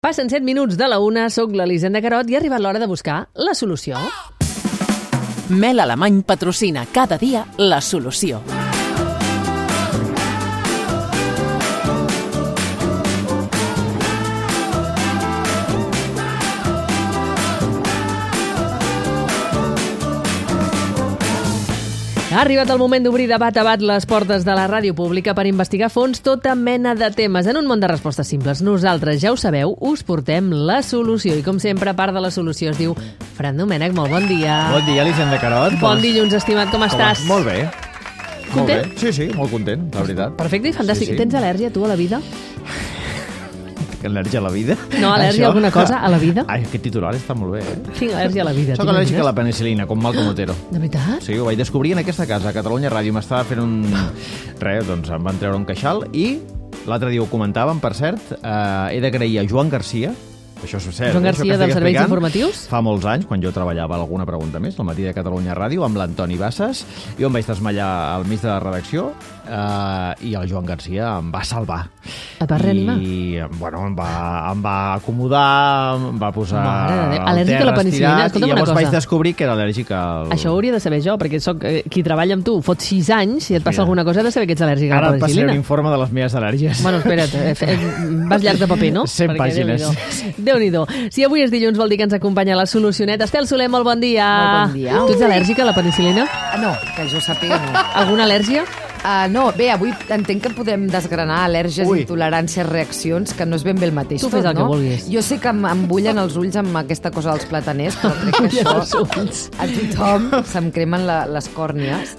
Passen 7 minuts de la 1, soc l'Elisenda Carot i ha arribat l'hora de buscar la solució. Mel Alemany patrocina cada dia la solució. Ha arribat el moment d'obrir de bat a bat les portes de la ràdio pública per investigar a fons tota mena de temes en un món de respostes simples. Nosaltres, ja ho sabeu, us portem la solució. I com sempre, part de la solució es diu Fran Domènech, molt bon dia. Bon dia, Elisenda Carot. Bon dilluns, estimat, com estàs? Molt bé. Content? Molt bé. Sí, molt content, la veritat. Perfecte i fantàstic. Sí. Tens al·lèrgia, tu, a la vida? Al·lèrgia a la vida? No, al·lèrgia a alguna cosa a la vida? Ai, aquest titular està molt bé, Tinc al·lèrgia a la vida. Soc al·lèrgic a la penicil·lina, com Malcom Otero. De veritat? Sí, ho vaig descobrir en aquesta casa, a Catalunya Ràdio. M'estava fent un... Res, doncs em van treure un queixal i l'altre dia ho comentàvem, per cert, he d'agrair a Joan Garcia. Això és cert. Joan Garcia dels Serveis Informatius? Fa molts anys, quan jo treballava a Alguna Pregunta Més, al matí de Catalunya Ràdio, amb l'Antoni Bassas, jo em vaig desmallar al mig de la redacció i el Joan Garcia em va salvar. Et va reanimar? I, bueno, em va acomodar, em va posar al·lèrgic a la penicil·lina. I llavors vaig descobrir que era al·lèrgic al... Això ho hauria de saber jo, perquè soc qui treballa amb tu. Fot 6 anys, si et passa alguna cosa, has de saber que ets al·lèrgic a la penicil·lina. Ara et passaré un informe de les meves al·lèrgies. Bueno, espera't, vas llarg de paper, no? 100 pàgines. Déu-n'hi-do. Si avui és dilluns vol dir que ens acompanya la solucioneta. Estel Soler, molt bon dia. Molt bon dia. Tu ets al·lèrgica a la penicil·lina? No, que jo sàpiga no. Alguna al·lèrgia? No, bé, avui entenc que podem desgranar al·lèrgies, intoleràncies, reaccions, que no és ben bé el mateix. Tu fes el que vulguis. Jo sé que em bullen els ulls amb aquesta cosa dels plataners, però crec que això a tothom se'm cremen les còrnies.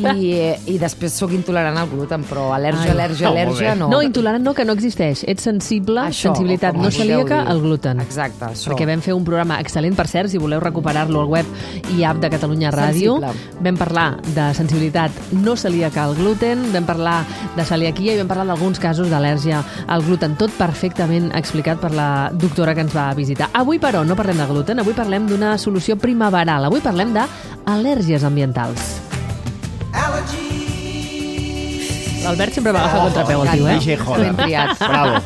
I després sóc intolerant al gluten, però al·lèrgia no. No, intolerant no, que no existeix. Ets sensible, sensibilitat no celíaca al gluten. Exacte, això. Perquè vam fer un programa excel·lent, per cert, si voleu recuperar-lo al web i app de Catalunya Ràdio. Vam parlar de sensibilitat no celíaca al gluten, vam parlar de celiaquia i vam parlar d'alguns casos d'al·lèrgia al gluten, tot perfectament explicat per la doctora que ens va visitar. Avui, però, no parlem de gluten, avui parlem d'una solució primaveral, avui parlem d'al·lèrgies ambientals. L'Albert sempre va agafar contrapeu al tio, Ben triat. Bravo.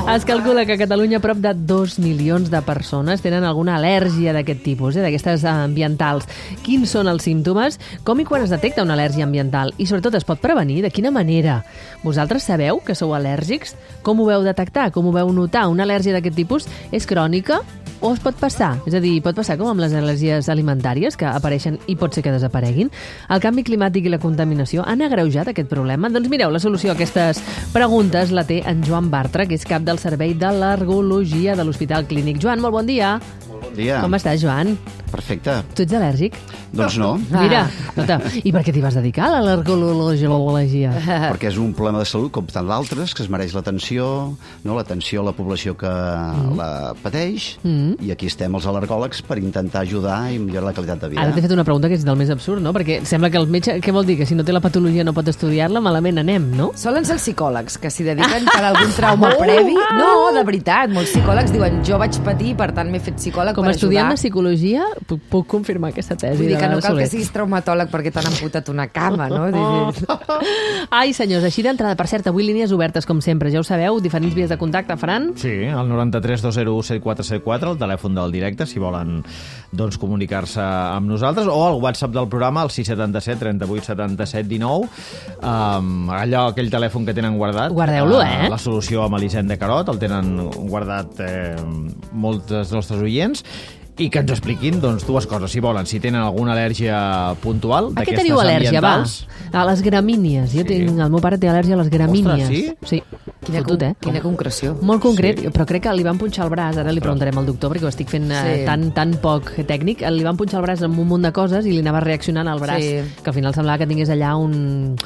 Es calcula que a Catalunya prop de 2 milions de persones tenen alguna al·lèrgia d'aquest tipus, d'aquestes ambientals. Quins són els símptomes? Com i quan es detecta una al·lèrgia ambiental? I sobretot es pot prevenir? De quina manera? Vosaltres sabeu que sou al·lèrgics? Com ho veu detectar? Com ho veu notar? Una al·lèrgia d'aquest tipus és crònica o es pot passar? És a dir, pot passar com amb les al·lèrgies alimentàries que apareixen i pot ser que desapareguin? El canvi climàtic i la contaminació han agreujat aquest problema? Doncs mireu, la solució a aquestes preguntes la té en Joan Bartra, que és cap del Servei d'Al·lergologia de l'Hospital Clínic. Joan, molt bon dia. Bon dia. Com estàs, Joan? Perfecte. Tu ets al·lèrgic? Doncs no. Mira, i per què t'hi vas dedicar, a l'al·lergologia? Perquè és un problema de salut, com tant d'altres, que es mereix l'atenció, no? L'atenció a la població que la pateix, i aquí estem els al·lergòlegs per intentar ajudar i millorar la qualitat de vida. Ara t'he fet una pregunta que és del més absurd, no? Perquè sembla que el metge, què vol dir? Que si no té la patologia no pot estudiar-la, malament anem, no? Solen ser els psicòlegs, que s'hi dediquen per algun trauma previ. No, de veritat, molts psicòlegs diuen jo vaig patir, per tant m'he fet psicòleg com per ajudar. Com a estudiant de psicologia puc confirmar aquesta tesi. Vull dir que no cal que siguis traumatòleg perquè t'han amputat una cama, no? Ai, senyors, així d'entrada, per cert, avui línies obertes, com sempre, ja ho sabeu, diferents vies de contacte, Fran? Sí, el 93 201 7474, el telèfon del directe, si volen doncs, comunicar-se amb nosaltres, o el WhatsApp del programa, el 677 38 77 19, aquell telèfon que tenen guardat. Guardeu-lo, La solució amb Elisenda Carot, el tenen guardat molts dels nostres oients, i que ens expliquin doncs, dues coses, si volen, si tenen alguna al·lèrgia puntual d'aquestes ambientals. A les gramínies. El meu pare té al·lèrgia a les gramínies. Ostres, sí? Quina concreció. Molt concret, però crec que li van punxar el braç, ara li preguntarem al doctor, perquè ho estic fent tan poc tècnic, li van punxar el braç amb un munt de coses i li anava reaccionant al braç, que al final semblava que tingués allà un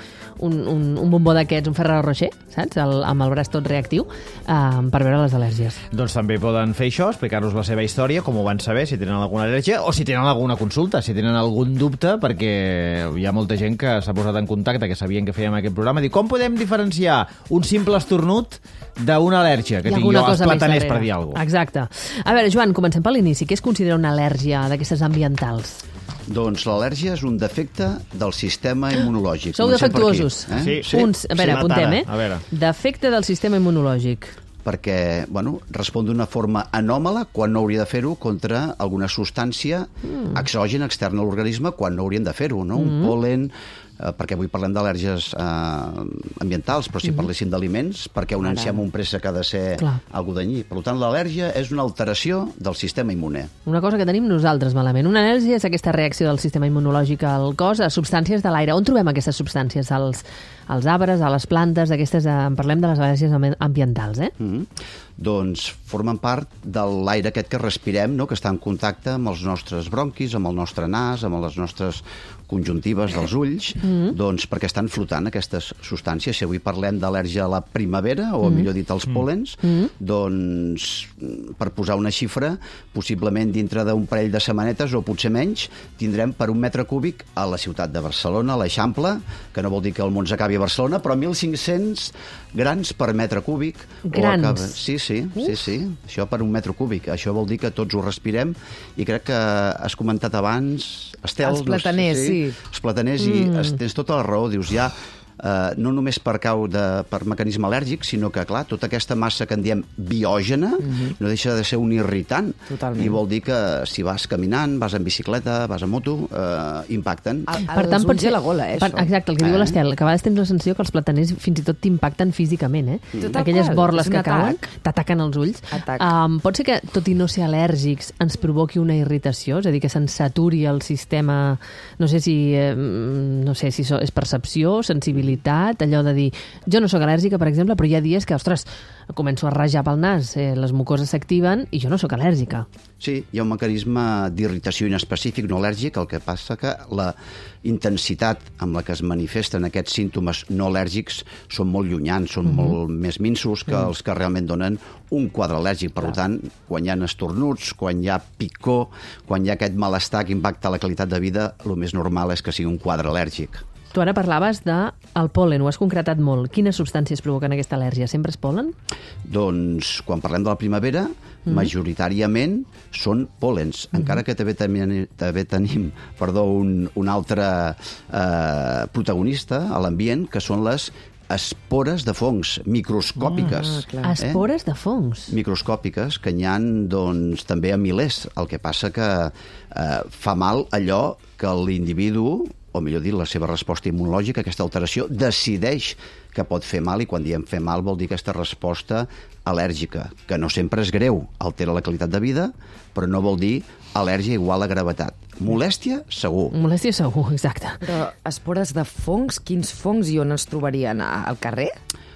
bombó d'aquests, un Ferrero Rocher, saps? Amb el braç tot reactiu, per veure les al·lèrgies. Doncs també poden fer això, explicar-nos la seva història, com ho van saber, si tenen alguna al·lèrgia, o si tenen alguna consulta, si tenen algun dubte, perquè hi ha molta gent que s'ha posat en contacte, que sabien que fèiem aquest programa, i diu, com podem diferenciar un simple estornut d'una al·lèrgia que tinc jo als plataners, per dir alguna cosa? Exacte. A veure, Joan, comencem per l'inici. Què es considera una al·lèrgia d'aquestes ambientals? Doncs l'al·lèrgia és un defecte del sistema immunològic. Sou defectuosos. Sí. A veure, apuntem, A veure. Defecte del sistema immunològic. perquè respon d'una forma anòmala quan no hauria de fer-ho contra alguna substància exògena, externa a l'organisme, quan no haurien de fer-ho, no? Un pol·len, perquè avui parlem d'al·lèrgies ambientals, però si parléssim d'aliments, perquè un enciam o un préssec ha de ser algú danyí. Per tant, l'al·lèrgia és una alteració del sistema immune. Una cosa que tenim nosaltres malament. Una al·lèrgia és aquesta reacció del sistema immunològic al cos a substàncies de l'aire. On trobem aquestes substàncies? Als arbres, a les plantes, parlem de les al·lèrgies ambientals, Doncs formen part de l'aire aquest que respirem, no? Que està en contacte amb els nostres bronquis, amb el nostre nas, amb les nostres conjuntives dels ulls, doncs perquè estan flotant aquestes substàncies. Si avui parlem d'al·lèrgia a la primavera, o millor dit als pòlens, doncs, per posar una xifra, possiblement dintre d'un parell de setmanetes, o potser menys, tindrem per 1 metre cúbic a la ciutat de Barcelona, a l'Eixample, que no vol dir que el món s'acabi a Barcelona, però 1.500 grans per metre cúbic. Grans? Sí. Això per 1 metre cúbic. Això vol dir que tots ho respirem, i crec que has comentat abans, Estel... Els plataners, sí. Els plataners, i tens tota la raó, dius, ja... no només per mecanisme al·lèrgic, sinó que, clar, tota aquesta massa que en diem biògena no deixa de ser un irritant. Totalment. I vol dir que si vas caminant, vas en bicicleta, vas en moto, impacten. Per tant, pot ser la gola, això. Exacte, el que diu l'Estel, que a vegades tens la sensació que els plataners fins i tot t'impacten físicament, Aquelles borles que cauen, t'ataquen els ulls. Pot ser que, tot i no ser al·lèrgics, ens provoqui una irritació, és a dir, que se'ns saturi el sistema, no sé si és percepció, sensibilitat, allò de dir, jo no sóc al·lèrgica, per exemple, però hi ha dies que, ostres, començo a rajar pel nas, les mucoses s'activen i jo no sóc al·lèrgica. Sí, hi ha un mecanisme d'irritació inespecífic no al·lèrgic, el que passa que la intensitat amb la que es manifesten aquests símptomes no al·lèrgics són molt llunyans, són molt més minsos que els que realment donen un quadre al·lèrgic. Per tant, quan hi ha estornuts, quan hi ha picor, quan hi ha aquest malestar que impacta la qualitat de vida, el més normal és que sigui un quadre al·lèrgic. Tu ara parlaves del pol·len, ho has concretat molt. Quines substàncies provoquen aquesta al·lèrgia? Sempre és pol·len? Doncs, quan parlem de la primavera, majoritàriament són pòl·lens, encara que també tenim un altre protagonista a l'ambient, que són les espores de fongs microscòpiques. Espores de fongs? Microscòpiques, que n'hi ha doncs, també a milers. El que passa que fa mal allò que l'individu, o millor dit, la seva resposta immunològica, aquesta alteració, decideix que pot fer mal, i quan diem fer mal vol dir aquesta resposta al·lèrgica, que no sempre és greu, altera la qualitat de vida, però no vol dir al·lèrgia igual a gravetat. Molèstia, segur. Molèstia, segur, exacte. Però espores de fongs, quins fongs i on es trobarien? Al carrer?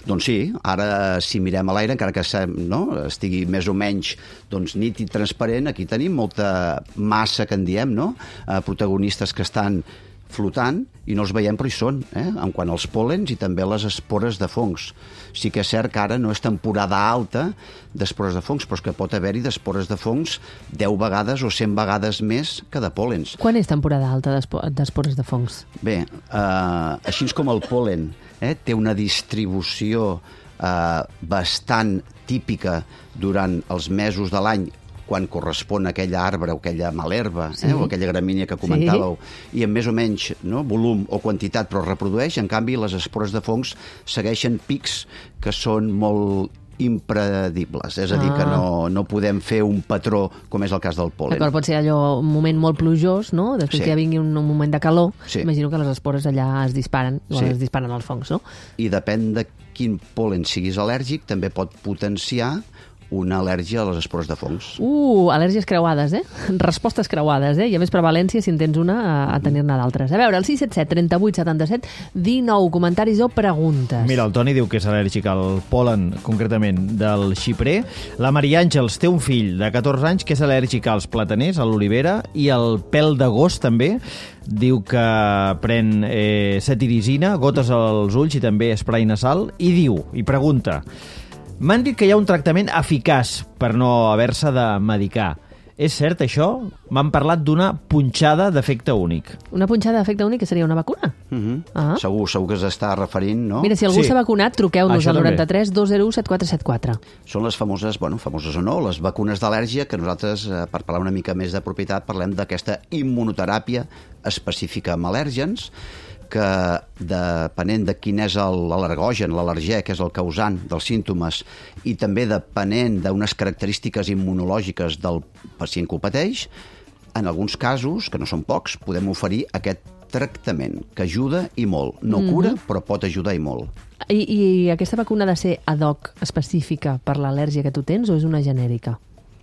Doncs sí, ara si mirem a l'aire, encara que estigui més o menys nítid, transparent, aquí tenim molta massa, que en diem, protagonistes que estan flotant i no els veiem, però hi són, en quant als pòl·lens i també les espores de fongs. Sí que és cert que ara no és temporada alta d'espores de fongs, però és que pot haver-hi d'espores de fongs 10 vegades o 100 vegades més que de pòl·lens. Quan és temporada alta d'espores de fongs? Bé, així com el pol·len té una distribució bastant típica durant els mesos de l'any, quan correspon a aquella arbre o aquella malherba, o aquella gramínia que comentàveu, i amb més o menys volum o quantitat, però es reprodueix. En canvi, les espores de fongs segueixen pics que són molt impredibles, és a dir, que no podem fer un patró com és el cas del pol·len. D'acord, pot ser allò un moment molt plujós, no? Després que ja vingui un moment de calor, imagino que les espores allà es disparen, es disparen als fongs, no? I depèn de quin pol·len siguis al·lèrgic, també pot potenciar una al·lèrgia a les espores de fongs. Al·lèrgies creuades, Respostes creuades, I a més prevalència, si en tens una, a tenir-ne d'altres. A veure, el 677 38 77 19 comentaris o preguntes. Mira, el Toni diu que és al·lèrgic al pol·len, concretament del xiprer. La Maria Àngels té un fill de 14 anys que és al·lèrgic als plataners, a l'olivera, i al pèl d'agost també. Diu que pren cetirizina, gotes als ulls i també esprai nasal, i pregunta: m'han dit que hi ha un tractament eficaç per no haver-se de medicar. És cert, això? M'han parlat d'una punxada d'efecte únic. Una punxada d'efecte únic, que seria una vacuna? Segur que s'està referint, no? Mira, si algú s'ha vacunat, truqueu-nos al 93 201 7474. Són les famoses o no, les vacunes d'al·lèrgia, que nosaltres, per parlar una mica més de propietat, parlem d'aquesta immunoteràpia específica amb al·lèrgens, que depenent de quin és l'al·lergogen, l'al·lergè, que és el causant dels símptomes, i també depenent d'unes característiques immunològiques del pacient que ho pateix, en alguns casos, que no són pocs, podem oferir aquest tractament, que ajuda i molt. No cura, però pot ajudar i molt. I aquesta vacuna ha de ser ad hoc específica per l'al·lèrgia que tu tens o és una genèrica?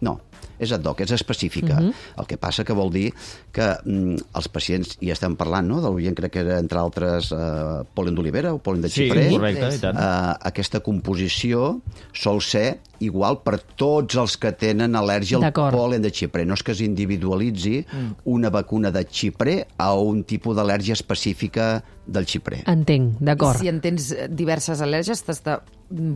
No, és ad hoc, és específica. El que passa que vol dir que els pacients, i estem parlant, no?, del Orient, crec que era, entre altres, pol·len d'olivera o pol·len de xiprer. Sí, correcte, i tant. Aquesta composició sol ser igual per tots els que tenen al·lèrgia al pol·len de xiprer. No és que es individualitzi una vacuna de xiprer a un tipus d'al·lèrgia específica del xiprer. Entenc, d'acord. I si en tens diverses al·lèrgies, t'has de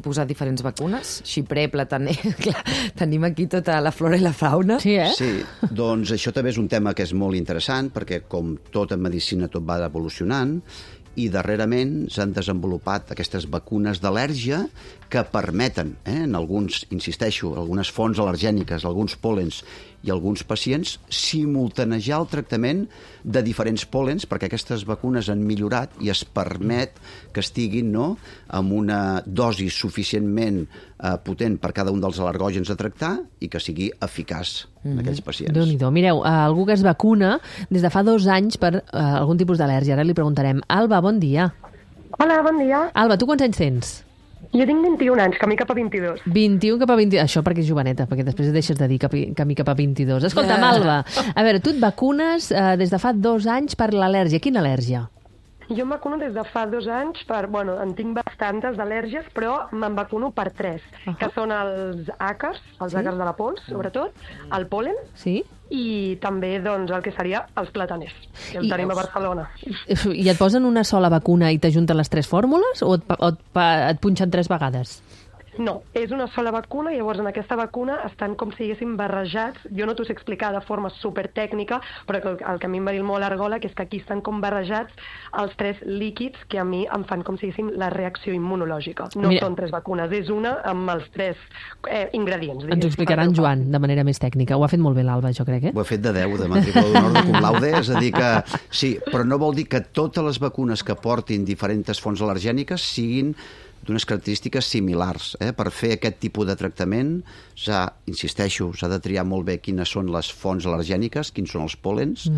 posar diferents vacunes? Xiprer, plataner... Clar, tenim aquí tota la flora i la fauna. Sí, Sí, doncs això també és un tema que és molt interessant, perquè com tot en medicina tot va evolucionant, i darrerament s'han desenvolupat aquestes vacunes d'al·lèrgia que permeten, en alguns, insisteixo, algunes fonts al·lergèniques, alguns pol·lens i alguns pacients, simultanejar el tractament de diferents pol·lens, perquè aquestes vacunes han millorat i es permet que estiguin amb una dosi suficientment potent per cada un dels al·lergògens a tractar i que sigui eficaç en aquells pacients. Déu-n'hi-do. Mireu, algú que es vacuna des de fa 2 anys per algun tipus d'al·lèrgia. Ara li preguntarem. Alba, bon dia. Hola, bon dia. Alba, tu quants anys tens? Jo tinc 21 anys, camí cap a 22. 21 cap a 22. Això perquè és joveneta, perquè després deixes de dir camí cap a 22. Escolta'm, Alba, a veure, tu et vacunes des de fa 2 anys per l'al·lèrgia. Quina al·lèrgia? Jo em vacuno des de fa 2 anys per... Bueno, en tinc bastantes d'al·lèrgies, però me'n vacuno per 3, que són els àcars, els àcars de la pols, sobretot, el pol·len, i també doncs, el que seria els plataners, que el tenim a Barcelona. I et posen una sola vacuna i t'ajunten les 3 fórmules o et punxen 3 vegades? No, és una sola vacuna i llavors en aquesta vacuna estan com si haguéssim barrejats, jo no t'ho sé explicar de forma supertècnica, però el que a mi em va dir el meu al·lergòleg és que aquí estan com barrejats els 3 líquids que a mi em fan com si haguéssim la reacció immunològica. No són 3 vacunes, és una amb els 3 ingredients. Ens ho explicarà en Joan de manera més tècnica. Ho ha fet molt bé l'Alba, jo crec, Ho ha fet de 10, de matrícula d'honor de cum laude, és a dir que sí, però no vol dir que totes les vacunes que portin diferents fonts al·lergèniques siguin d'unes característiques similars. Per fer aquest tipus de tractament, insisteixo, s'ha de triar molt bé quines són les fonts al·lergèniques, quins són els pol·lens,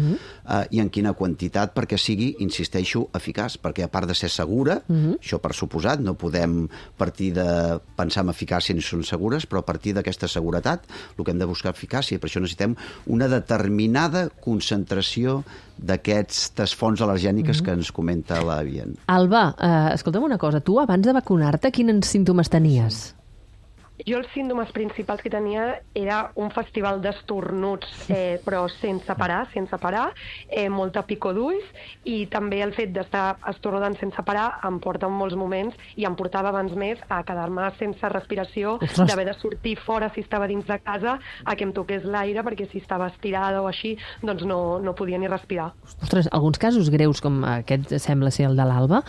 i en quina quantitat perquè sigui, insisteixo, eficaç. Perquè a part de ser segura, això per suposat, no podem partir de pensar en eficàcia ni són segures, però a partir d'aquesta seguretat el que hem de buscar eficàcia. Per això necessitem una determinada concentració d'aquestes fonts al·lergèniques que ens comenta la Vient. Alba, escolta'm una cosa, tu abans de vacunar-te quins símptomes tenies? Jo els símptomes principals que tenia era un festival d'estornuts, però sense parar, molta picor d'ulls, i també el fet d'estar estornudant sense parar em porta en molts moments, i em portava abans més a quedar-me sense respiració, d'haver de sortir fora si estava dins de casa, a que em toqués l'aire, perquè si estava estirada o així, doncs no podia ni respirar. Ostres, alguns casos greus, com aquest sembla ser el de l'Alba,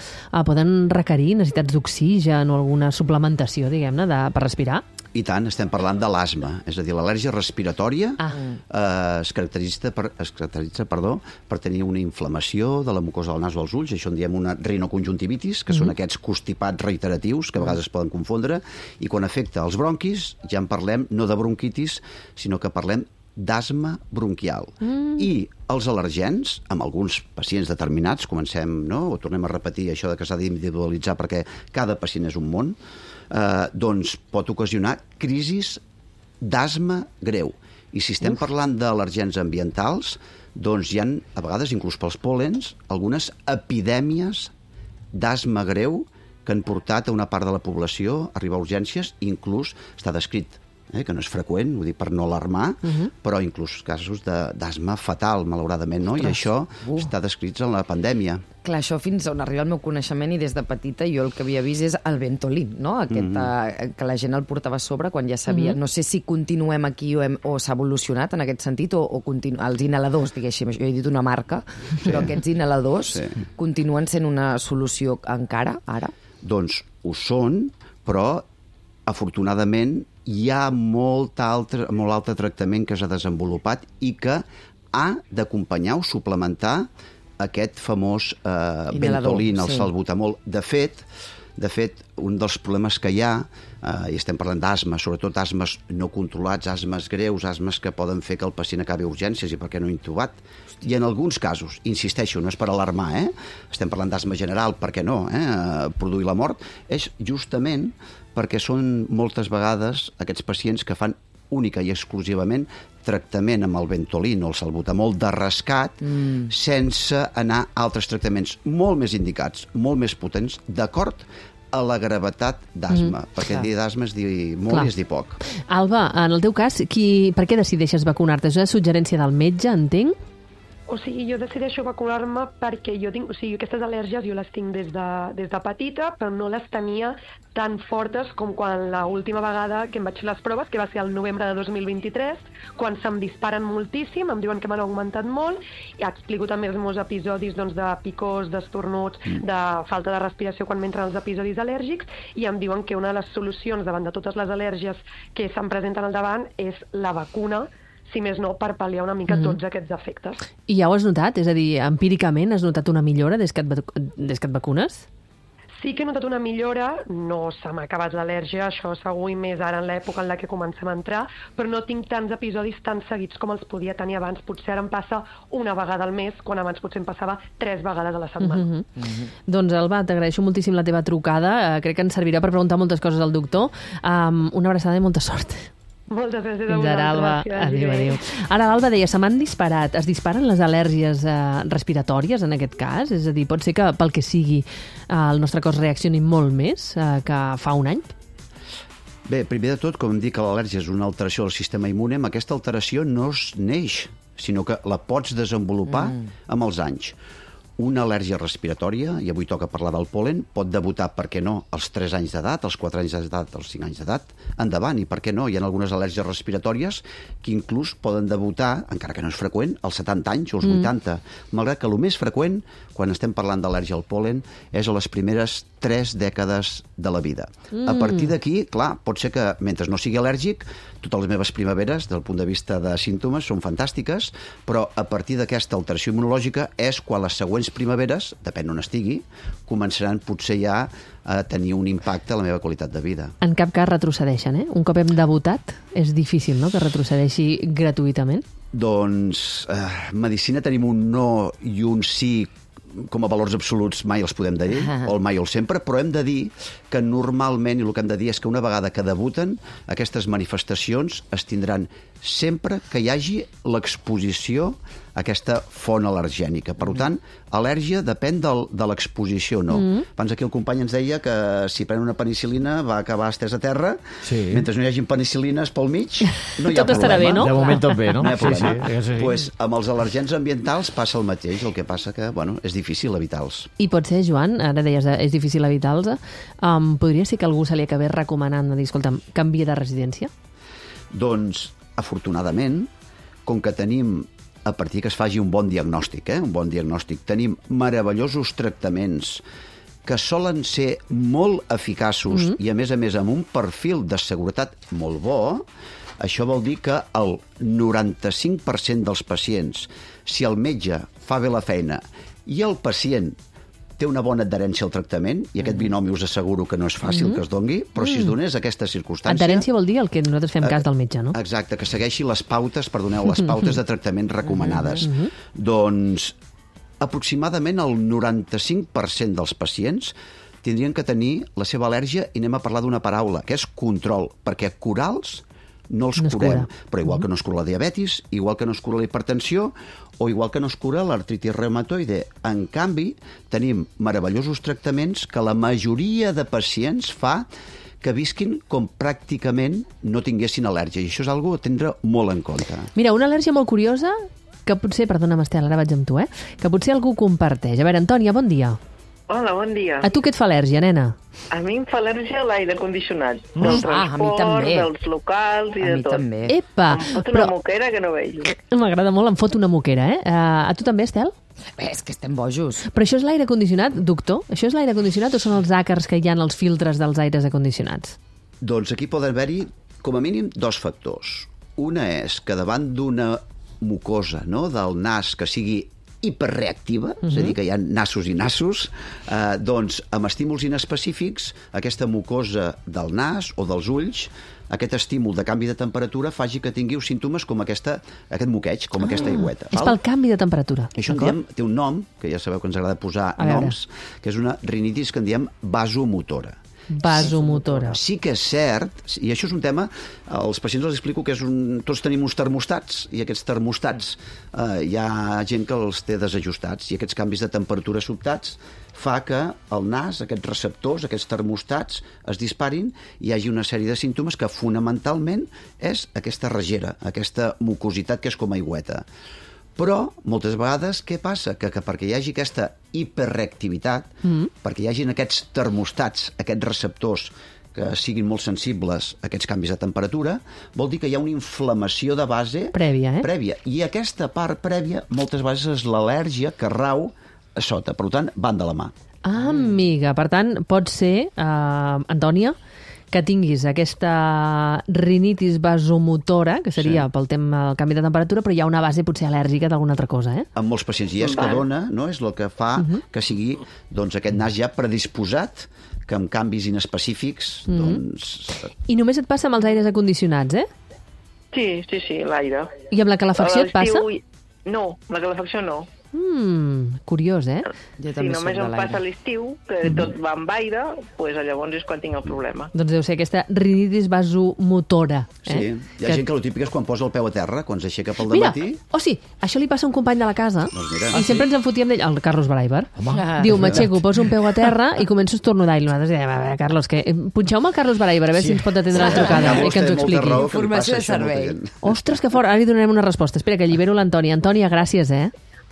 poden requerir necessitats d'oxigen o alguna suplementació, diguem-ne, per respirar? I tant, estem parlant de l'asma, és a dir, l'al·lèrgia respiratòria es caracteritza per tenir una inflamació de la mucosa del nas o els ulls, això en diem una rinoconjuntivitis, que són aquests constipats reiteratius que a vegades es poden confondre, i quan afecta els bronquis ja en parlem no de bronquitis, sinó que parlem d'asma bronquial. I els al·lergens, amb alguns pacients determinats, comencem, o tornem a repetir això de que s'ha d'individualitzar perquè cada pacient és un món, doncs pot ocasionar crisis d'asma greu. I si estem parlant d'al·lergens ambientals, doncs hi ha, a vegades, inclús pels pol·lens, algunes epidèmies d'asma greu que han portat a una part de la població a arribar a urgències, inclús està descrit que no és freqüent, ho dic per no alarmar, però inclús casos d'asma fatal, malauradament, I això està descrit en la pandèmia. Clar, això fins on arriba el meu coneixement, i des de petita jo el que havia vist és el Ventolin, que la gent el portava a sobre quan ja sabia. No sé si continuem aquí o s'ha evolucionat en aquest sentit, o els inhaladors, diguéssim, jo he dit una marca, però aquests inhaladors continuen sent una solució encara, ara? Doncs ho són, però afortunadament hi ha molt altre tractament que s'ha desenvolupat i que ha d'acompanyar o suplementar aquest famós Inhalador, Ventolin, el sí. salbutamol. De fet, un dels problemes que hi ha, i estem parlant d'asma, sobretot asmes no controlats, asmes greus, asmes que poden fer que el pacient acabi a urgències i per què no intubat. I en alguns casos, insisteixo, no és per alarmar, estem parlant d'asma general, per què no, produir la mort, és justament perquè són moltes vegades aquests pacients que fan única i exclusivament tractament amb el Ventolin o el salbutamol de rescat sense anar a altres tractaments molt més indicats, molt més potents, d'acord a la gravetat d'asma, perquè dir d'asma és dir molt i és dir poc. Alba, en el teu cas, per què decideixes vacunar-te? És una suggerència del metge, entenc? O sigui, jo decideixo vacunar-me perquè jo tinc... O sigui, aquestes al·lèrgies jo les tinc des de petita, però no les tenia tan fortes com quan l'última vegada que em vaig fer les proves, que va ser el novembre de 2023, quan se'm disparen moltíssim, em diuen que m'han augmentat molt, i explico també els meus episodis doncs, de picors, d'estornuts, de falta de respiració quan m'entren els episodis al·lèrgics, i em diuen que una de les solucions davant de totes les al·lèrgies que se'm presenten al davant és la vacuna, si més no, per pal·liar una mica tots aquests efectes. I ja ho has notat? És a dir, empíricament has notat una millora des que et vacunes? Sí que he notat una millora, no se m'ha acabat l'al·lèrgia, això segur, i més ara en l'època en la que comencem a entrar, però no tinc tants episodis tan seguits com els podia tenir abans. Potser ara em passa una vegada al mes, quan abans potser em passava 3 vegades a la setmana. Doncs, Alba, t'agraeixo moltíssim la teva trucada. Crec que ens servirà per preguntar moltes coses al doctor. Una abraçada i molta sort. Moltes gràcies a Fins ara, Alba. Adéu. Ara l'Alba deia, se m'han disparat. Es disparen les al·lèrgies respiratòries, en aquest cas? És a dir, pot ser que, pel que sigui, el nostre cos reaccioni molt més que fa un any? Bé, primer de tot, com em dic que l'al·lèrgia és una alteració del sistema immune, amb aquesta alteració no es neix, sinó que la pots desenvolupar amb els anys. Una al·lèrgia respiratòria, i avui toca parlar del pol·len, pot debutar, per què no, als 3 anys d'edat, als 4 anys d'edat, als 5 anys d'edat, endavant, i per què no, hi ha algunes al·lèrgies respiratòries que inclús poden debutar, encara que no és freqüent, als 70 anys o als 80, malgrat que el més freqüent, quan estem parlant d'al·lèrgia al pol·len, és a les primeres 3 dècades de la vida. A partir d'aquí, clar, pot ser que, mentre no sigui al·lèrgic, totes les meves primaveres, del punt de vista de símptomes, són fantàstiques, però a partir d'aquesta alteració immunològica és quan les següents primaveres, depèn on estigui, començaran potser ja a tenir un impacte a la meva qualitat de vida. En cap cas retrocedeixen, eh? Un cop hem debutat, és difícil, no?, que retrocedeixi gratuïtament. Doncs, medicina tenim un no i un sí com a valors absoluts mai els podem dir, o el mai o el sempre, però hem de dir que normalment, i el que hem de dir és que una vegada que debuten, aquestes manifestacions es tindran sempre que hi hagi l'exposició a aquesta font al·lergènica. Per tant, al·lèrgia depèn de l'exposició, no. Abans aquí el company ens deia que si pren una penicil·lina va acabar estès a terra, mentre no hi hagi penicil·lines pel mig, no hi ha tot problema. estarà bé, no? De moment tot bé, no? No hi ha problema. Sí. Pues, amb els al·lergens ambientals passa el mateix, el que passa que, bueno, és difícil evitar-los. I pot ser, Joan, ara deies és difícil evitar-los, podria ser que algú se li acabés recomanant de dir, escolta'm, canvia de residència? Doncs, afortunadament, com que tenim, a partir que es faci un bon diagnòstic, un bon diagnòstic, tenim meravellosos tractaments que solen ser molt eficaços i, a més, amb un perfil de seguretat molt bo. Això vol dir que el 95% dels pacients, si el metge fa bé la feina i el pacient té una bona adherència al tractament, i aquest binomi us asseguro que no és fàcil que es doni, però si es donés aquesta circumstància... Adherència vol dir el que nosaltres fem cas del metge, no? Exacte, que segueixi les pautes, les pautes de tractament recomanades. Doncs aproximadament el 95% dels pacients tindrien que tenir la seva al·lèrgia, i anem a parlar d'una paraula, que és control, perquè curals no els curem, però igual que no es cura la diabetis, igual que no es cura la hipertensió, o igual que no es cura l'artritis reumatoide. En canvi, tenim meravellosos tractaments que la majoria de pacients fa que visquin com pràcticament no tinguessin al·lèrgia, i això és una cosa a tindre molt en compte. Mira, una al·lèrgia molt curiosa, que potser, perdona'm, Estel, ara vaig amb tu, que potser algú comparteix. A veure, Antònia, bon dia. Hola, bon dia. A tu què et fa al·lèrgia, nena? A mi em fa al·lèrgia a l'aire condicionat. a Del mi transport, també. dels locals i de tot. A mi també. Epa! Em fot una moquera que no veig. M'agrada molt, em fot una moquera, A tu també, Estel? És que estem bojos. Però això és l'aire condicionat, doctor? Això és l'aire condicionat o són els àcars que hi ha en els filtres dels aires acondicionats? Doncs aquí poden haver-hi, com a mínim, 2 factors. Una és que davant d'una mucosa, no?, del nas que sigui hiperreactiva, és a dir, que hi ha nassos i nassos, doncs amb estímuls inespecífics, aquesta mucosa del nas o dels ulls, aquest estímul de canvi de temperatura faci que tingueu símptomes com aquest moqueig, com aquesta aigüeta. És pel canvi de temperatura. Això en diem, té un nom, que ja sabeu que ens agrada posar noms, que és una rinitis que en diem vasomotora. Vasomotora. Sí que és cert, i això és un tema, als pacients els explico que tots tenim uns termostats, i aquests termostats hi ha gent que els té desajustats, i aquests canvis de temperatura sobtats fa que el nas, aquests receptors, aquests termostats es disparin i hi hagi una sèrie de símptomes que fonamentalment és aquesta regera, aquesta mucositat que és com aigüeta. Però, moltes vegades, què passa? Que perquè hi hagi aquesta hiperreactivitat, perquè hi hagin aquests termostats, aquests receptors que siguin molt sensibles a aquests canvis de temperatura, vol dir que hi ha una inflamació de base prèvia. I aquesta part prèvia, moltes vegades, és l'al·lèrgia que rau a sota. Per tant, van de la mà. Ah, amiga. Per tant, pot ser, Antònia, que tinguis aquesta rinitis vasomotora, que seria pel tema del canvi de temperatura, però hi ha una base potser al·lèrgica d'alguna altra cosa, En molts pacients. I és que dona, no? És el que fa que sigui aquest nas ja predisposat, que amb canvis inespecífics, doncs... I només et passa amb els aires acondicionats, Sí, l'aire. I amb la calefacció et passa? No, la calefacció no. Curiós, Jo Si també soc només de em l'aire. passa a l'estiu, que tot va amb aire, doncs llavors és quan tinc el problema. Doncs deu ser aquesta rinitis vasomotora. Sí, hi ha gent que el típic és quan posa el peu a terra, quan s'aixeca pel Mira, dematí... sí, això li passa a un company de la casa, Doncs mira. i sempre ens en fotíem d'ell, el Carlos Braiber. Diu, m'aixeco, poso un peu a terra i començo a estornudar. I nosaltres dèiem, a veure, Carlos, punxeu-me el Carlos Braiber, a veure si ens pot atendre la trucada i que ens ho expliqui. Informació de servei. Ostres, que fort, ara li donarem una resposta. Espera, que allibero l'Antònia. Antònia, gràcies,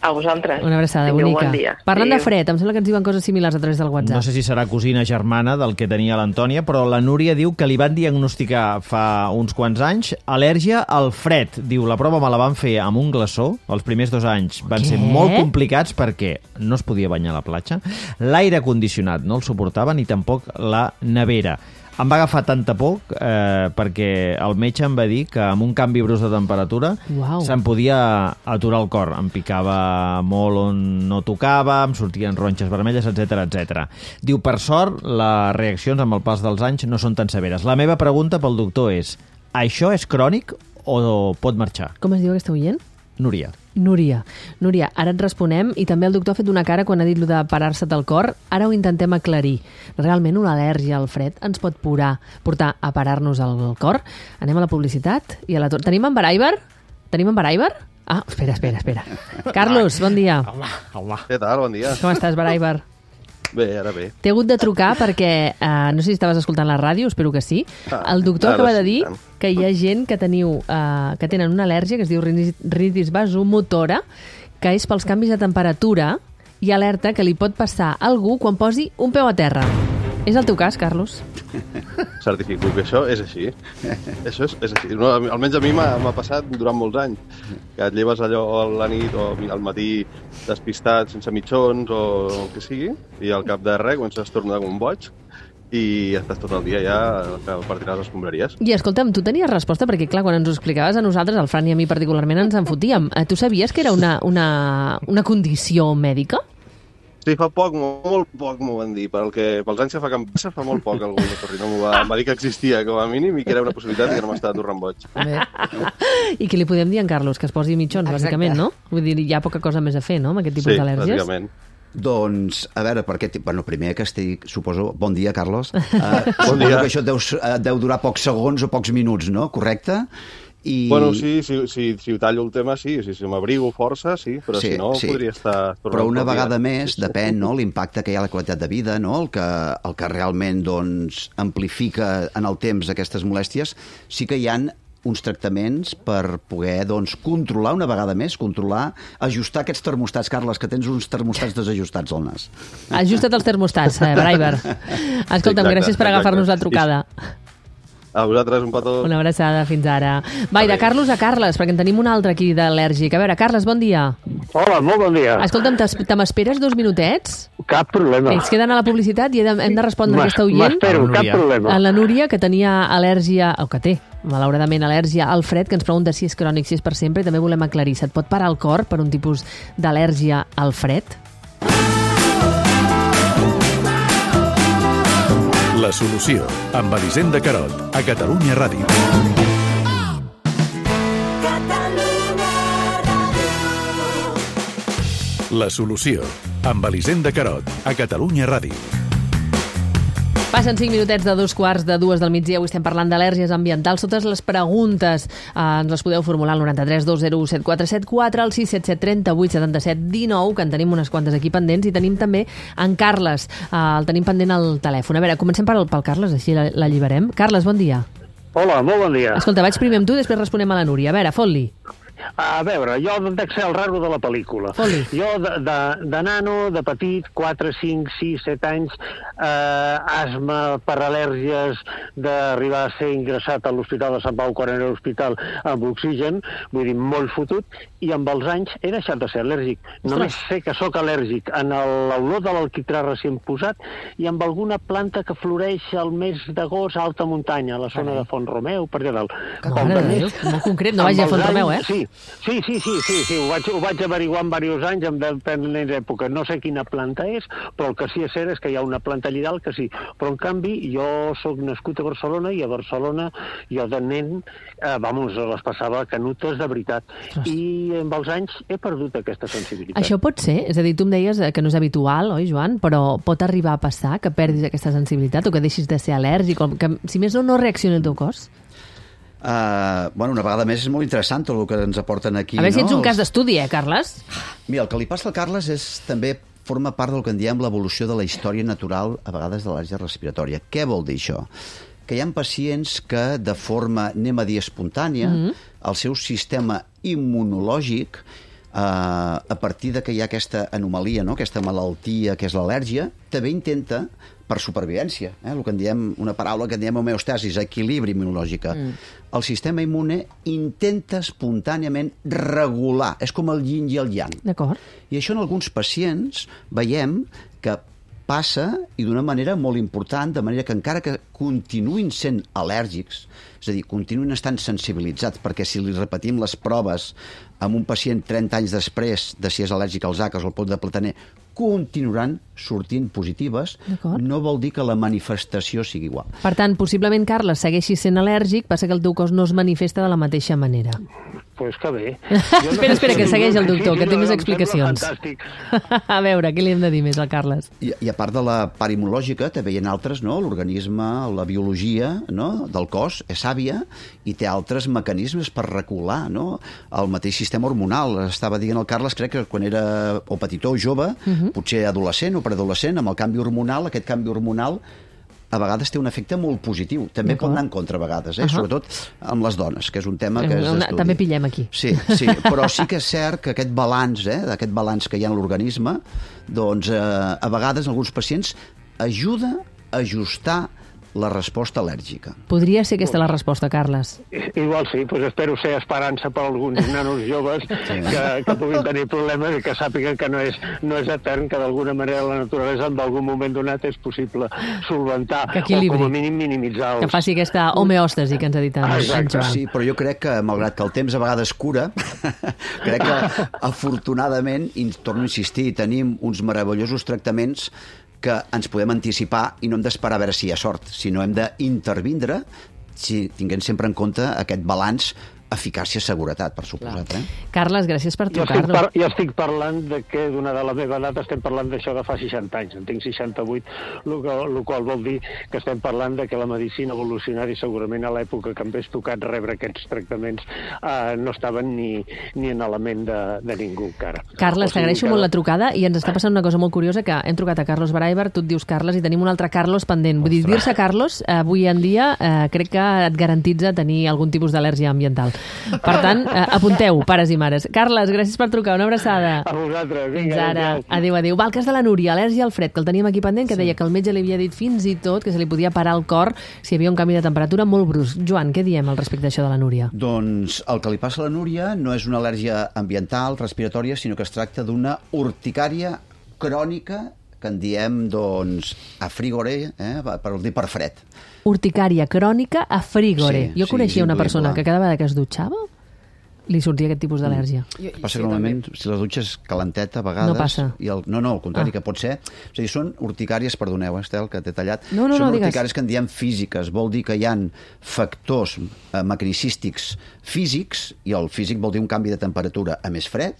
A vosaltres. Una abraçada Tingueu bonica. Bon dia. Parlant de fred, em sembla que ens diuen coses similars a través del WhatsApp. No sé si serà cosina germana del que tenia l'Antònia, però la Núria diu que li van diagnosticar fa uns quants anys al·lèrgia al fred. Diu, la prova me la van fer amb un glaçó. Els primers 2 anys van ser molt complicats perquè no es podia banyar a la platja. L'aire condicionat no el suportava ni tampoc la nevera. Em va agafar tanta por perquè el metge em va dir que amb un canvi brusc de temperatura se'm podia aturar el cor. Em picava molt on no tocava, em sortien ronxes vermelles, etc. Diu, per sort, les reaccions amb el pas dels anys no són tan severes. La meva pregunta pel doctor és, això és crònic o pot marxar? Com es diu aquesta oient? Núria, ara et responem, i també el doctor ha fet una cara quan ha dit lo de parar-se del cor. Ara ho intentem aclarir. Realment una al·lèrgia al fred ens pot portar a parar-nos el cor? Anem a la publicitat i a la torna. Tenim en Baraiber? Ah, espera. Carlos, bon dia. Home. Què tal? Bon dia. Com estàs, Baraiber? Bé, ara bé. T'he hagut de trucar perquè, no sé si estaves escoltant la ràdio, espero que sí. El doctor acaba de dir que hi ha gent que tenen una al·lèrgia que es diu rinitis vasomotora, que és pels canvis de temperatura, i alerta que li pot passar a algú quan posi un peu a terra. És el teu cas, Carlos? Certifico que això és així. Això és així. No, almenys a mi m'ha passat durant molts anys. Que et lleves allò a la nit o al matí despistat, sense mitjons o el que sigui, i al cap de res comences a estornudar com un boig i estàs tot el dia ja per tirar les escombraries. I escolta'm, tu tenies resposta? Perquè, clar, quan ens ho explicaves a nosaltres, al Fran i a mi particularment, ens en fotíem. Tu sabies que era una condició mèdica? Sí, fa poc, molt poc m'ho van dir. Pels anys que fa que em passa, fa molt poc algú de Torrino em va dir que existia com a mínim i que era una possibilitat i que no m'estava atorrant boig. I què li podem dir a en Carlos? Que es posi mitjons, bàsicament, no? Vull dir, hi ha poca cosa més a fer, no?, amb aquest tipus d'al·lèrgies. Sí, bàsicament. Doncs, a veure, primer que estic, suposo... Bon dia, Carlos. Bon dia. Que això deu durar pocs segons o pocs minuts, no? Correcte? Bueno, sí, si ho tallo el tema, sí. Si m'abrigo força, sí, però si no, podria estar... Però una vegada més, depèn, no?, l'impacte que hi ha a la qualitat de vida, no?, el que realment, doncs, amplifica en el temps aquestes molèsties, sí que hi ha uns tractaments per poder, doncs, controlar una vegada més, ajustar aquests termostats. Carles, que tens uns termostats desajustats al nas. Ajusta't els termostats, Braiber. Escolta'm, gràcies per agafar-nos la trucada. A vosaltres, un petó. Una abraçada, fins ara. Va, i de Carlos a Carles, perquè en tenim un altre aquí d'al·lèrgic. A veure, Carles, bon dia. Hola, molt bon dia. Escolta'm, te m'esperes 2 minutets? Cap problema. Ells queden a la publicitat i hem de respondre a aquesta oient. M'espero, cap problema. A la Núria, que tenia al·lèrgia, o que té, malauradament, al·lèrgia al fred, que ens pregunta si és crònic, si és per sempre, i també volem aclarir, se't pot parar el cor per un tipus d'al·lèrgia al fred? La solució, amb Elisenda Carot, a Catalunya Ràdio. La solució, amb Elisenda Carot, a Catalunya Ràdio. Passen 5 minutets de 2:45 del migdia. Avui estem parlant d'al·lèrgies ambientals. Totes les preguntes ens les podeu formular al 93 201 7474, al 677 38 77 19, que en tenim unes quantes aquí pendents, i tenim també en Carles. El tenim pendent al telèfon. A veure, comencem pel Carles, així l'alliberem. Carles, bon dia. Hola, molt bon dia. Escolta, vaig primer amb tu, després responem a la Núria. A veure, fot-li. A veure, jo dec ser el raro de la pel·lícula. Jo, de nano, de petit, 4, 5, 6, 7 anys, asma per al·lèrgies, d'arribar a ser ingressat a l'Hospital de Sant Pau quan era l'hospital amb oxigen, vull dir, molt fotut, i amb els anys he deixat de ser al·lèrgic. Només sé que sóc al·lèrgic en l'olor de l'alquitrà recient posat i amb alguna planta que floreix al mes d'agost a alta muntanya, a la zona de Font Romeu, per allà dalt. Molt concret, no vagi a Font Romeu, eh? Sí, ho vaig averiguar en diversos anys, en diferents èpoques. No sé quina planta és, però el que sí és cert és que hi ha una planta allà dalt que sí. Però, en canvi, jo sóc nascut a Barcelona i a Barcelona jo de nen, les passava canutes de veritat. I amb els anys he perdut aquesta sensibilitat. Això pot ser? És a dir, tu em deies que no és habitual, oi, Joan? Però pot arribar a passar que perdis aquesta sensibilitat o que deixis de ser al·lèrgic o que, si més no reaccioni el teu cos? Una vegada més és molt interessant tot el que ens aporten aquí. A veure si ets un cas d'estudi, Carles? Mira, el que li passa al Carles també forma part del que en diem l'evolució de la història natural, a vegades de l'al·lèrgia respiratòria. Què vol dir això? Que hi ha pacients que de forma, anem a dir, espontània, el seu sistema immunològic, a partir de que hi ha aquesta anomalia, no? Aquesta malaltia que és l'al·lèrgia, també intenta, per supervivència, el que en diem, una paraula que en diem homeostasis, equilibri immunològica. El sistema immune intenta espontàniament regular, és com el yin i el yang. D'acord. I això en alguns pacients veiem que passa i d'una manera molt important, de manera que encara que continuïn sent al·lèrgics, és a dir, continuïn estant sensibilitzats, perquè si li repetim les proves amb un pacient 30 anys després de si és al·lèrgic als àcars o al pot de plataner, continuaran sortint positives, no vol dir que la manifestació sigui igual. Per tant, possiblement, Carles, segueixi sent al·lèrgic, passa que el teu cos no es manifesta de la mateixa manera. Pues que bé. Espera, que segueix el doctor, que té més explicacions. Fantàstic. A veure, què li hem de dir més al Carles? I a part de la part immunològica, també hi ha altres, no? L'organisme, la biologia, no? Del cos és sàvia i té altres mecanismes per regular, no? El mateix sistema hormonal. Estava dient el Carles, crec que quan era o petitó o jove, potser adolescent o preadolescent, amb el canvi hormonal, aquest canvi hormonal a vegades té un efecte molt positiu. També pot anar en contra a vegades, sobretot amb les dones, que és un tema que és d'estudi. També pillem aquí. Sí, però sí que és cert que aquest balanç que hi ha en l'organisme, doncs a vegades en alguns pacients ajuda a ajustar la resposta al·lèrgica. Podria ser aquesta la resposta, Carles? Igual sí, doncs espero ser esperança per alguns nanos joves que puguin tenir problemes i que sàpiguen que no és etern, que d'alguna manera la naturalesa en algun moment donat és possible solventar o com a mínim minimitzar. Que faci aquesta homeòstasi que ens ha dit en Joan. Sí, però jo crec que, malgrat que el temps a vegades cura, crec que afortunadament, i torno a insistir, tenim uns meravellosos tractaments que ens podem anticipar i no hem d'esperar a veure si hi ha sort, sinó hem d'intervindre tinguent sempre en compte aquest balanç eficàcia-seguretat, per suposat. Carles, gràcies per trucar-nos. Jo estic parlant de que d'una de la meva edat estem parlant d'això de fa 60 anys, en tinc 68, el qual vol dir que estem parlant de que la medicina evolucionària segurament a l'època que em ves tocat rebre aquests tractaments no estaven ni en element de ningú encara. Carles, t'agraeixo molt la trucada i ens està passant una cosa molt curiosa, que hem trucat a Carlos Braiber, tu et dius Carles i tenim un altre Carlos pendent. Vull dir-se Carlos, avui en dia crec que et garantitza tenir algun tipus d'al·lèrgia ambiental. Per tant, apunteu, pares i mares. Carles, gràcies per trucar, una abraçada. A vosaltres, vinga. Fins ara. Adéu, adéu. Va, el cas de la Núria, al·lèrgia al fred, que el teníem aquí pendent, que deia que el metge li havia dit fins i tot que se li podia parar el cor si hi havia un canvi de temperatura molt brusc. Joan, què diem al respecte d'això de la Núria? Doncs el que li passa a la Núria no és una al·lèrgia ambiental, respiratòria, sinó que es tracta d'una urticària crònica que en diem, doncs, a frigore, per dir per fred. Urticària crònica a frigore. Sí, jo coneixia una persona induïble. que cada vegada que es dutxava li sortia aquest tipus d'al·lèrgia. Passa que normalment, si la dutxa és calenteta, a vegades... No passa. No, al contrari, que pot ser... És a dir, són urticàries, perdoneu, Estel, que t'he tallat. No, són digues. urticàries que en diem físiques. Vol dir que hi ha factors mecanicístics físics, i el físic vol dir un canvi de temperatura a més fred,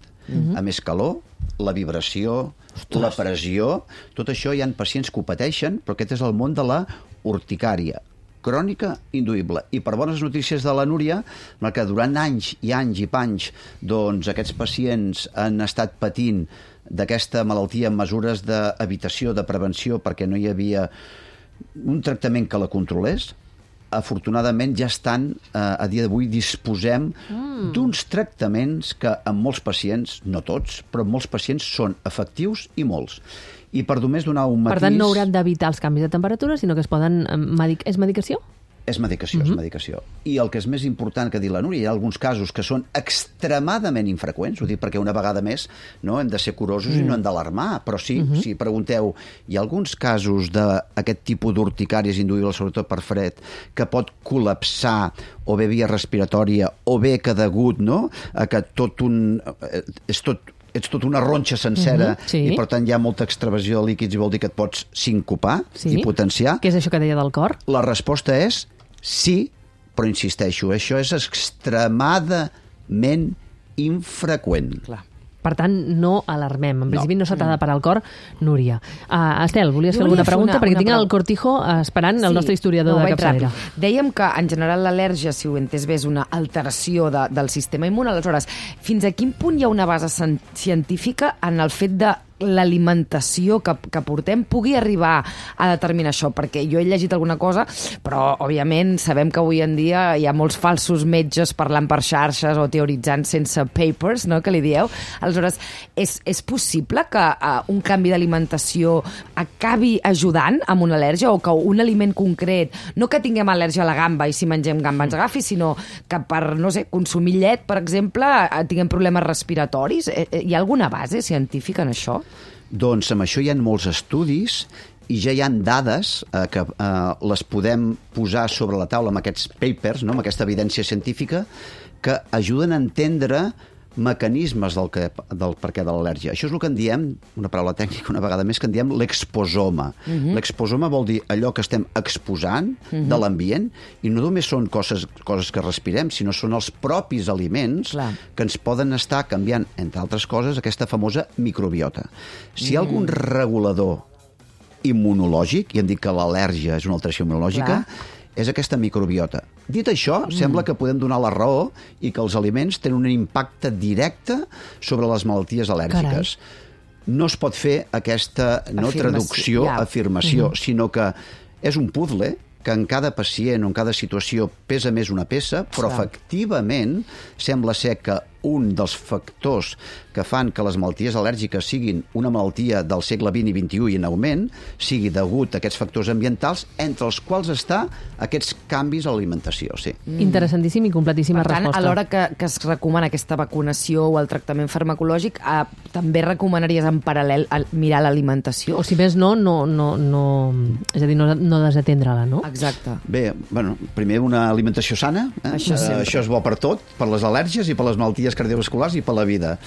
a més calor, la vibració, la pressió... Tot això hi ha pacients que ho pateixen, però aquest és el món de la urticària crònica induïble. I per bones notícies de la Núria, que durant anys i panys doncs, aquests pacients han estat patint d'aquesta malaltia amb mesures d'evitació, de prevenció, perquè no hi havia un tractament que la controlés. Afortunadament ja estan, a dia d'avui disposem d'uns tractaments que en molts pacients, no tots, però en molts pacients són efectius i molts. I per només donar un matís... Per tant, no hauran d'evitar els canvis de temperatura, sinó que es poden... És medicació? És medicació, és medicació. I el que és més important que dir la Núria, hi ha alguns casos que són extremadament infreqüents, ho dic perquè una vegada més no hem de ser curosos i no hem d'alarmar, però sí, si pregunteu, hi ha alguns casos d'aquest tipus d'urticàries induïbles, sobretot per fred, que pot col·lapsar o bé via respiratòria o bé que degut, no?, a que ets tot una ronxa sencera sí. i per tant hi ha molta extravasió de líquids i vol dir que et pots sincopar i potenciar. Què és això que deia del cor? La resposta és sí, però insisteixo, això és extremadament infreqüent. Clar. Per tant, no alarmem. En principi no s'ha de parar el cor, Núria. Estel, volies fer alguna pregunta? Perquè tinc el Cortijo esperant el nostre historiador de capçalera. Dèiem que, en general, l'al·lèrgia, si ho he entès bé, és una alteració del sistema immune. Aleshores, fins a quin punt hi ha una base científica en el fet de l'alimentació que portem pugui arribar a determinar això? Perquè jo he llegit alguna cosa, però, òbviament, sabem que avui en dia hi ha molts falsos metges parlant per xarxes o teoritzant sense papers, no?, que li dieu. Aleshores, és possible que un canvi d'alimentació acabi ajudant amb una al·lèrgia, o que un aliment concret, no que tinguem al·lèrgia a la gamba i si mengem gamba ens agafi, sinó que per, no sé, consumir llet, per exemple, tinguem problemes respiratoris? Hi ha alguna base científica en això? Doncs amb això hi ha molts estudis i ja hi ha dades que les podem posar sobre la taula amb aquests papers, no?, amb aquesta evidència científica, que ajuden a entendre mecanismes del perquè de l'al·lèrgia. Això és el que en diem, una paraula tècnica una vegada més, que en diem l'exposoma. L'exposoma vol dir allò que estem exposant de l'ambient, i no només són coses que respirem, sinó són els propis aliments que ens poden estar canviant, entre altres coses, aquesta famosa microbiota. Si hi ha algun regulador immunològic, i hem dit que l'al·lèrgia és una alteració immunològica, és aquesta microbiota. Dit això, sembla que podem donar la raó i que els aliments tenen un impacte directe sobre les malalties al·lèrgiques. No es pot fer aquesta traducció, afirmació, sinó que és un puzzle que en cada pacient o en cada situació pesa més una peça, però efectivament sembla ser que un dels factors que fan que les malalties al·lèrgiques siguin una malaltia del segle XX i XXI i en augment, sigui degut a aquests factors ambientals, entre els quals està aquests canvis a l'alimentació. Sí. Interessantíssim i completíssima resposta. Per tant, a l'hora que es recomana aquesta vacunació o el tractament farmacològic, també recomanaries en paral·lel mirar l'alimentació? O si més no, és a dir, no desatendre-la, no? Exacte. Bé, bueno, primer una alimentació sana, això és bo per tot, per les al·lèrgies i per les malalties cardiovasculars i per la vida.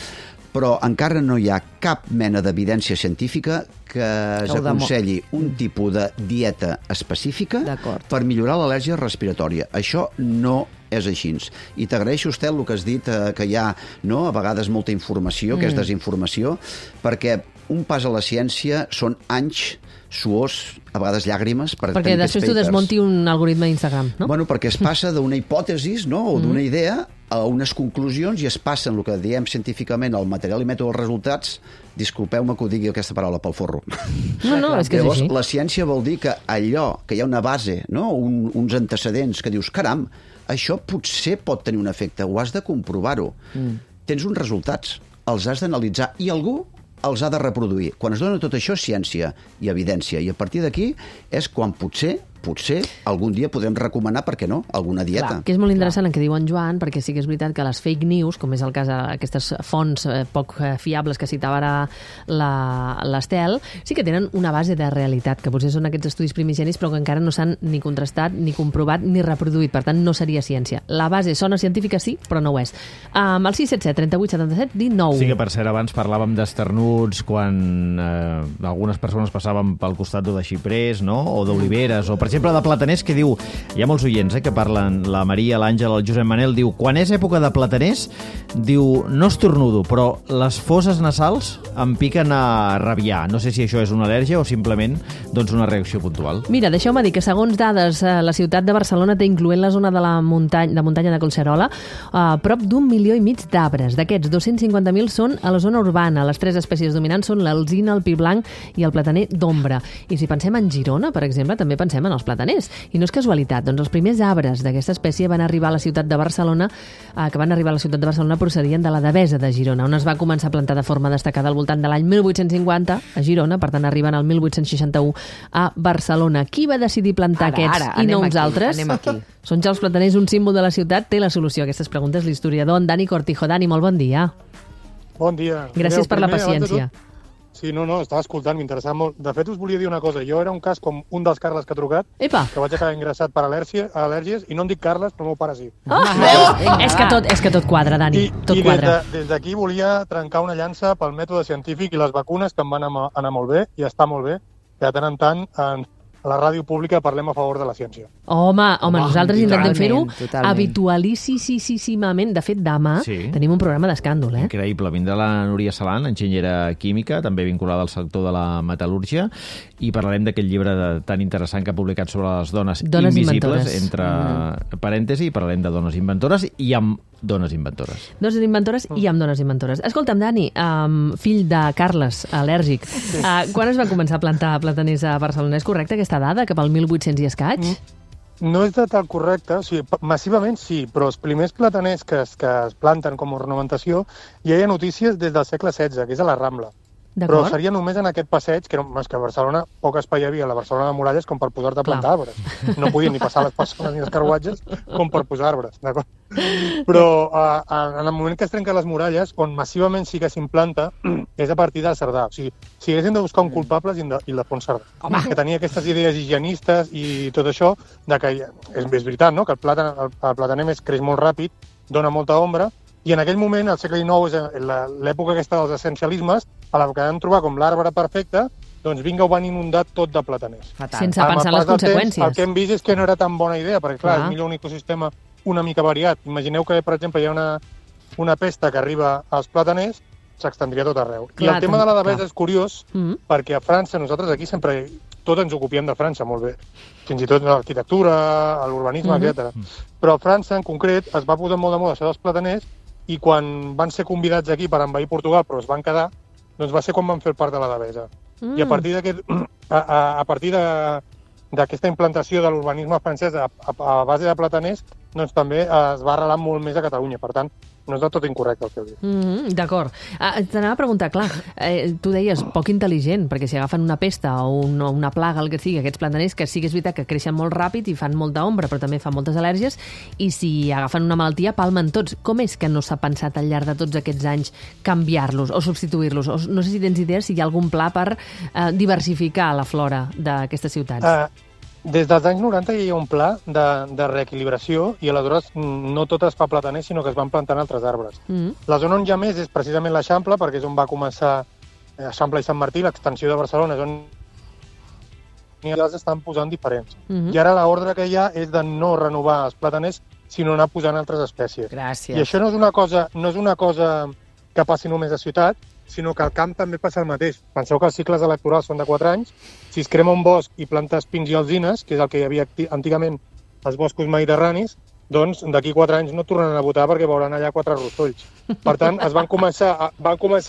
Però encara no hi ha cap mena d'evidència científica que es aconselli un tipus de dieta específica per millorar l'al·lèrgia respiratòria. Això no és així. I t'agraeixo, Estel, el que has dit, que hi ha a vegades molta informació, que és desinformació, perquè un pas a la ciència són anys suors, a vegades llàgrimes, perquè després tu desmonti un algoritme d'Instagram, no? Bueno, perquè es passa d'una hipòtesi, o d'una idea a unes conclusions i es passen el que diem científicament el material i mètode dels resultats. Disculpeu-me que ho digui aquesta paraula pel forro. No, és que és així. La ciència vol dir que allò, que hi ha una base, uns antecedents que dius, caram, això potser pot tenir un efecte, ho has de comprovar-ho. Tens uns resultats, els has d'analitzar i algú els ha de reproduir. Quan es dona tot això, ciència i evidència. I a partir d'aquí és quan potser potser algun dia podrem recomanar, per què no, alguna dieta. Clar, que és molt interessant el que diu en Joan, perquè sí que és veritat que les fake news, com és el cas d'aquestes fonts poc fiables que citava ara l'Estel, sí que tenen una base de realitat, que potser són aquests estudis primigenis, però que encara no s'han ni contrastat, ni comprovat, ni reproduït. Per tant, no seria ciència. La base sona científica, sí, però no ho és. El 677 38 77 19. Sí que, per cert, abans parlàvem d'esternuts quan algunes persones passaven pel costat de xiprers, no? O d'oliveres, o, per exemple, de plataners, que diu... Hi ha molts oients que parlen, la Maria, l'Àngel, el Josep Manel, diu, quan és època de plataners, diu, no estornudo, però les fosses nasals em piquen a rabiar. No sé si això és una al·lèrgia o simplement doncs, una reacció puntual. Mira, deixeu-me dir que, segons dades, la ciutat de Barcelona té, incloent la zona de la muntanya de Collserola, prop d'1,5 milió d'arbres. D'aquests, 250.000 són a la zona urbana. Les 3 espècies dominants són l'alzina, el pi blanc i el plataner d'ombra. I si pensem en Girona, per exemple, també pensem en els plataners. I no és casualitat, doncs els primers arbres d'aquesta espècie van arribar a la ciutat de Barcelona, procedien de la Devesa de Girona, on es va començar a plantar de forma destacada al voltant de l'any 1850 a Girona, per tant arriben al 1861 a Barcelona. Qui va decidir plantar aquests i no uns altres? Són ja els plataners un símbol de la ciutat? Té la solució a aquestes preguntes l'historiador en Dani Cortijo. Dani, molt bon dia. Bon dia. Gràcies per la paciència. Sí, no, estava escoltant, m'interessava molt. De fet, us volia dir una cosa. Jo era un cas com un dels Carles que ha trucat, que vaig acabar ingressat per al·lèrgies, i no em dic Carles, però el meu pare sí. És que tot quadra, Dani, tot quadra. I des d'aquí volia trencar una llança pel mètode científic i les vacunes, que em van anar molt bé, i està molt bé, que de tant en tant a la ràdio pública parlem a favor de la ciència. Home, nosaltres intentem fer-ho habitualíssimament. De fet, demà tenim un programa d'escàndol. Increïble. Vindrà la Núria Salant, enginyera química, també vinculada al sector de la metal·lúrgia, i parlarem d'aquest llibre tan interessant que ha publicat sobre les dones invisibles, entre parèntesi, i parlarem de dones inventores i amb dones inventores. Dones inventores i amb dones inventores. Escolta'm, Dani, fill de Carles, al·lèrgic, quan es va començar a plantar plataners a Barcelona? És correcte aquesta dada, cap al 1800 i escaig? No és de tal correcte, o sigui, massivament sí, però els primers plataners que es planten com a ornamentació ja hi ha notícies des del segle XVI, que és a la Rambla. Però seria només en aquest passeig, que a Barcelona poc espai hi havia, a la Barcelona de Muralles, com per posar-te a plantar arbres. No podien ni passar les persones ni els carruatges com per posar arbres, d'acord? Però en el moment que es trenquen les muralles, on massivament sí que s'implanta, és a partir del Cerdà. O sigui, si haguéssim de buscar un culpable és Ildefons Cerdà, que tenia aquestes idees higienistes i tot això, que és veritat, no?, que el plataner més creix molt ràpid, dona molta ombra, i en aquell moment, al segle XIX, és l'època aquesta dels essencialismes, a la que vam trobar com l'arbre perfecte, doncs vinga, ho van inundar tot de plataners. Sense pensar en les conseqüències. El que hem vist és que no era tan bona idea, perquè clar, és millor un ecosistema una mica variat. Imagineu que, per exemple, hi ha una pesta que arriba als plataners, s'extendria tot arreu. I el tema de la Devesa és curiós, perquè a França, nosaltres aquí sempre tot ens ocupiem de França molt bé, fins i tot l'arquitectura, l'urbanisme, etc. Però a França, en concret, es va posar molt de moda això dels plataners, i quan van ser convidats aquí per envair Portugal, però es van quedar, doncs va ser quan van fer el parc de la Devesa. I a partir d'aquesta implantació de l'urbanisme francès a base de plataners, doncs també es va arrelar molt més a Catalunya. Per tant, no és del tot incorrecte el que heu dit. D'acord. T'anava a preguntar, clar, tu deies poc intel·ligent, perquè si agafen una pesta o una plaga, el que sigui, aquests plataners, que sí que és veritat que creixen molt ràpid i fan molta ombra, però també fan moltes al·lèrgies, i si agafen una malaltia, palmen tots. Com és que no s'ha pensat al llarg de tots aquests anys canviar-los o substituir-los? No sé si tens idees si hi ha algun pla per diversificar la flora d'aquestes ciutats. Des dels anys 90 hi ha un pla de reequilibració i aleshores no tot es fa plataner, sinó que es van plantant altres arbres. La zona on hi ha més és precisament l'Eixample, perquè és on va començar Eixample i Sant Martí, l'extensió de Barcelona, és on els estan posant diferents. I ara l'ordre que hi ha és de no renovar els plataners, sinó anar posant altres espècies. Gràcies. I això no és una cosa que passi només a ciutat, sinó que al camp també passa el mateix. Penseu que els cicles electorals són de 4 anys. Si es crema un bosc i plantes pins i alzines, que és el que hi havia antigament als boscos mediterranis, doncs d'aquí 4 anys no tornaran a votar perquè veuran allà 4 rostolls. Per tant, van començar a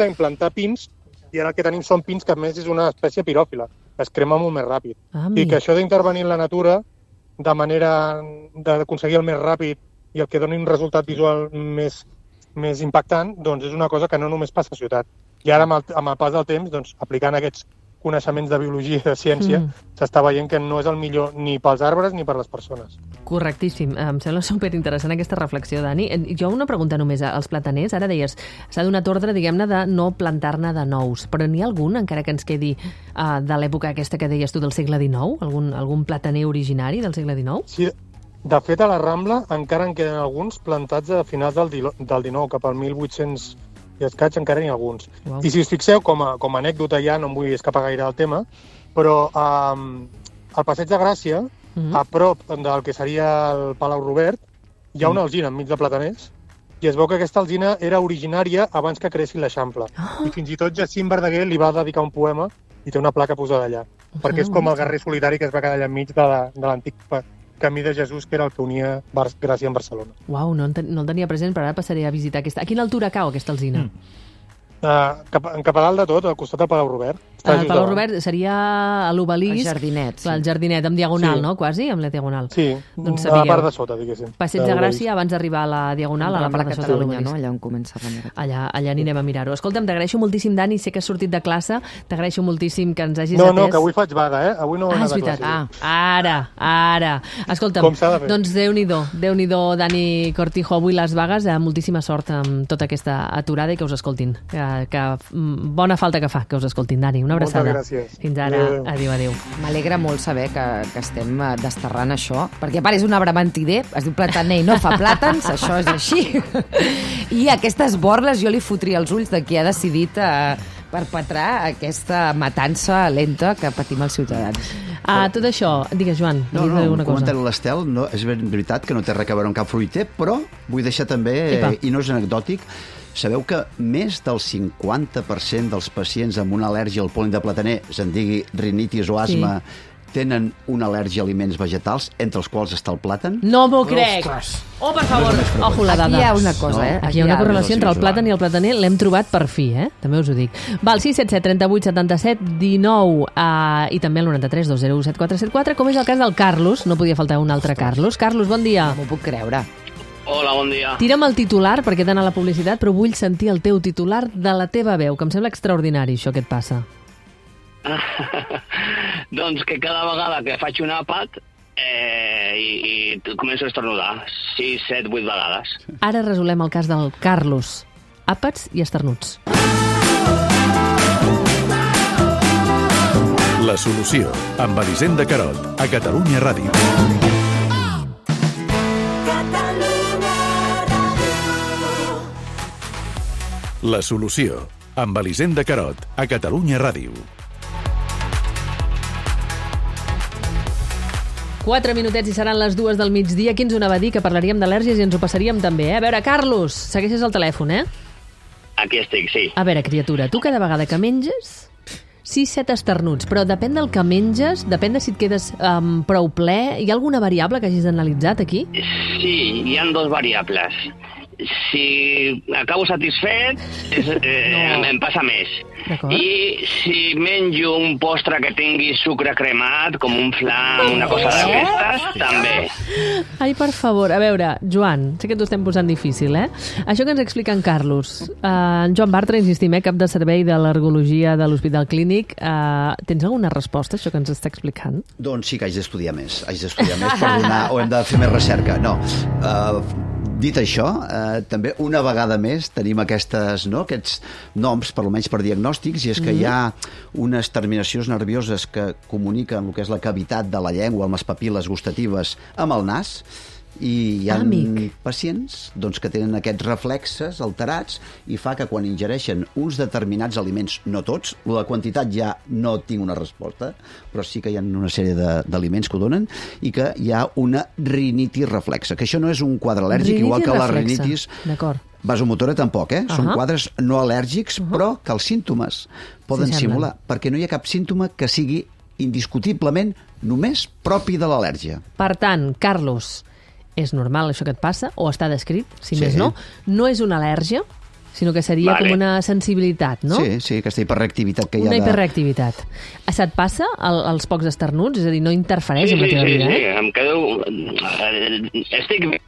implantar pins i ara el que tenim són pins que a més és una espècie piròfila, que es crema molt més ràpid. I que això d'intervenir en la natura de manera d'aconseguir el més ràpid i el que doni un resultat visual més impactant, doncs és una cosa que no només passa a ciutat. I ara, amb el pas del temps, doncs, aplicant aquests coneixements de biologia i de ciència, s'està veient que no és el millor ni pels arbres ni per les persones. Correctíssim. Em sembla superinteressant aquesta reflexió, Dani. Jo una pregunta només als plataners. Ara deies, s'ha donat ordre, diguem-ne, de no plantar-ne de nous. Però n'hi ha algun, encara que ens quedi de l'època aquesta que deies tu del segle XIX? Algun plataner originari del segle XIX? Sí, de fet, a la Rambla encara en queden alguns plantats a finals del XIX, cap al 1800 i escaig encara n'hi ha alguns. Wow. I si us fixeu, com a anècdota ja, no em vull escapar gaire del tema, però al Passeig de Gràcia, a prop del que seria el Palau Robert, hi ha una alzina enmig de plataners, i es veu que aquesta alzina era originària abans que creessin l'Eixample. I fins i tot Jacint Verdaguer li va dedicar un poema i té una placa posada allà, perquè és com el guerrer solitari que es va quedar allà enmig de l'antic Camí de Jesús, que era el que unia Gràcia amb Barcelona. Uau, no el tenia present, però ara passaré a visitar aquesta. A quina altura cau aquesta alzina? Cap a dalt de tot, al costat del Palau Robert. El Palau Robert seria a l'obelisc. El jardinet. Clar, el jardinet, amb diagonal, no? Quasi, amb la diagonal. Sí, doncs a la part de sota, diguéssim. Passeig de Gràcia, abans d'arribar a la diagonal, a la part de sota de l'obelisc. No? Allà on comença a allà anirem a mirar-ho. Escolta'm, t'agraeixo moltíssim, Dani, sé que has sortit de classe, t'agraeixo moltíssim que ens hagis atès. No, que avui faig vaga, Avui no he anat a classe. Ara. Escolta'm, doncs Déu-n'hi-do, Dani Cortijo, avui les vagues, moltíssima sort amb tota aquesta aturada i que us escoltin. Que bona falta que fa que us escoltin, Dani. Una abraçada. Moltes gràcies. Fins ara. Adéu. M'alegra molt saber que estem desterrant això, perquè a part és un arbre mentider, es diu plataner i no fa plàtans, això és així. I aquestes borles jo li fotria els ulls de qui ha decidit perpetrar aquesta matança lenta que patim els ciutadans. Tot això, digues, Joan. Un comentari a l'Estel, és veritat que no té res a veure amb cap fruiter, però vull deixar també, i no és anecdòtic, sabeu que més del 50% dels pacients amb una al·lèrgia al pol·len de plataner, se'n digui rinitis o asma, tenen una al·lèrgia a aliments vegetals, entre els quals està el plàtan? No m'ho crec! Oh, per favor, ojo la dada. Aquí hi ha una cosa, Aquí hi ha una correlació entre el plàtan i el plataner, l'hem trobat per fi, també us ho dic. Val, 677 38 77 19 i també el 93 201 7474, com és el cas del Carlos, no podia faltar un altre Carlos. Carlos, bon dia. No m'ho puc creure. Hola, bon dia. Tira'm el titular, perquè he d'anar a la publicitat, però vull sentir el teu titular de la teva veu, que em sembla extraordinari, això que et passa. Doncs que cada vegada que faig un àpat i començo a esternudar 6, 7, 8 vegades. Ara resolem el cas del Carlos. Àpats i esternuts. La solució, amb Elisenda Carot, a Catalunya Ràdio. La solució, amb Elisenda Carot, a Catalunya Ràdio. 4 minutets i seran les 2 del migdia. Qui ens ho anava a dir, que parlaríem d'al·lèrgies i ens ho passaríem també, A veure, Carlos, segueixes el telèfon, Aquí estic, sí. A veure, criatura, tu cada vegada que menges 6-7 esternuts, però depèn del que menges, depèn de si et quedes prou ple. Hi ha alguna variable que hagis analitzat aquí? Sí, hi ha 2 variables. Si acabo satisfet, em passa més. I si menjo un postre que tingui sucre cremat, com un flam, una cosa d'aquestes, també. Ai, per favor, a veure, Joan, sé que t'ho estem posant difícil, Això que ens explica en Carlos. En Joan Bartra, insistim, cap de servei d'al·lergologia de l'Hospital Clínic. Tens alguna resposta a això que ens està explicant? Doncs sí que haig d'estudiar més. Per donar, o hem de fer més recerca. No. Dit això, també una vegada més tenim aquests noms, per almenys per diagnòstics, i és que hi ha unes terminacions nervioses que comuniquen el que és la cavitat de la llengua amb les papil·les gustatives amb el nas, i hi ha pacients que tenen aquests reflexes alterats i fa que quan ingereixen uns determinats aliments, no tots, la quantitat ja no tinc una resposta, però sí que hi ha una sèrie d'aliments que ho donen, i que hi ha una rinitis reflexa, que això no és un quadre al·lèrgic, igual que la rinitis vasomotora tampoc, són quadres no al·lèrgics, però que els símptomes poden simular, perquè no hi ha cap símptoma que sigui indiscutiblement només propi de l'al·lèrgia. Per tant, Carlos, és normal això que et passa, o està descrit, si més no. No és una al·lèrgia, sinó que seria com una sensibilitat, no? Sí, aquesta hiperreactivitat que hi ha. Una hiperreactivitat. Se't passa els pocs esternuts? És a dir, no interfereix amb la teva vida, Sí, em quedo...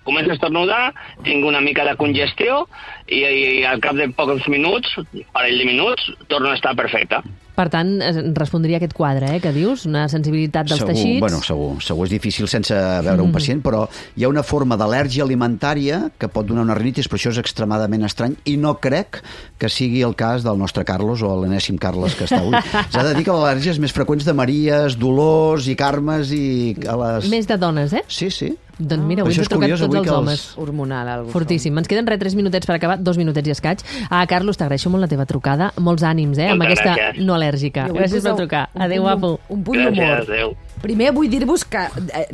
Començo a esternudar, tinc una mica de congestió i al cap de pocs minuts, parell de minuts, torno a estar perfecte. Per tant, respondria aquest quadre, que dius, una sensibilitat dels teixits. Bueno, segur, és difícil sense veure un pacient, però hi ha una forma d'al·lèrgia alimentària que pot donar una rinitis, però això és extremadament estrany i no crec que sigui el cas del nostre Carlos o l'enèsim Carles que està avui. S'ha de dir que l'al·lèrgia és més freqüents de Maries, Dolors i Carmes i a les... Més de dones, Sí. Doncs mira, avui ens he trucat tots els homes. Hormonal, algo. Fortíssim. Ens queden 3 minutets per acabar, 2 minutets i escaig. Carlos, t'agraeixo molt la teva trucada. Molts ànims, amb aquesta no al·lèrgica. Gràcies per trucar. Adéu, guapo. Un punt d'humor. Adéu. Primer vull dir-vos que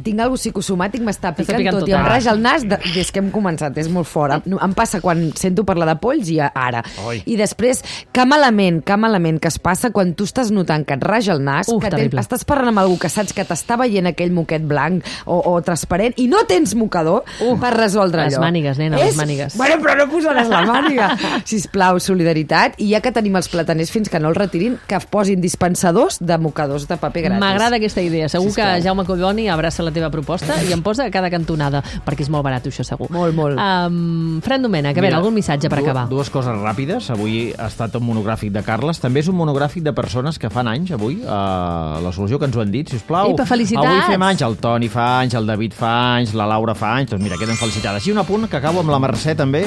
tinc alguna psicosomàtic, m'està picant tot i em raja el nas des que hem començat, és molt fort. Em passa quan sento parlar de polls i ara. I després, que malament que es passa quan tu estàs notant que et raja el nas, que estàs parlant amb algú que saps que t'està veient aquell moquet blanc o transparent i no tens mocador per resoldre allò. Les mànigues, nena, les mànigues. Bueno, però no posaràs la màniga. Sisplau, solidaritat. I ja que tenim els plataners fins que no els retirin, que posin dispensadors de mocadors de paper gratis. M'agrada aquesta idea. Segur que Jaume Collboni abraça la teva proposta i em posa a cada cantonada, perquè és molt barat, això segur. Molt. Fran Domènech, a veure, algun missatge per acabar? Dues coses ràpides. Avui ha estat un monogràfic de Carles. També és un monogràfic de persones que fan anys, avui, a la solució que ens ho han dit, sisplau. Epa, felicitats! Avui fem anys, el Toni fa anys, el David fa anys, la Laura fa anys, doncs mira, queden felicitades. I un apunt que acabo amb la Mercè també.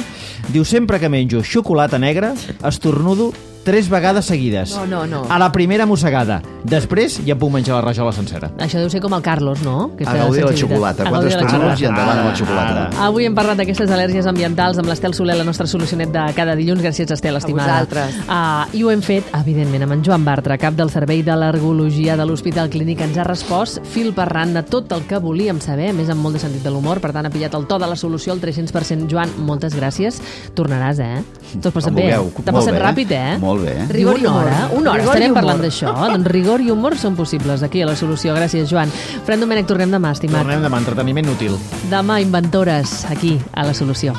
Diu, sempre que menjo xocolata negra, estornudo 3 vegades seguides. No. A la primera mossegada. Després ja puc menjar la rajola sencera. Això deu ser com el Carlos, no? A gaudir de la xocolata. 4 estornudos i endavant amb la xocolata. Avui hem parlat d'aquestes al·lèrgies ambientals amb l'Estel Soler, la nostra solucionet de cada dilluns. Gràcies, Estel, estimada. A vosaltres. I ho hem fet, evidentment, amb en Joan Bartra, cap del Servei d'Al·lergologia de l'Hospital Clínic. Ens ha respost fil per randa tot el que volíem saber, més amb molt de sentit de l'humor. Per tant, ha pillat el to de la solució al 300%. Joan, moltes gràcies. Tornaràs, Tot passat bé. T'ha passat ràpid, Molt bé. Rigor i humor. Una hora estarem parlant d'això. Doncs rigor i humor són possibles aquí a la solució. Gràcies, Joan. Fran Domènech, tornem demà, estimat. Tornem demà, entreteniment útil. Demà, inventores, aquí, a la solució.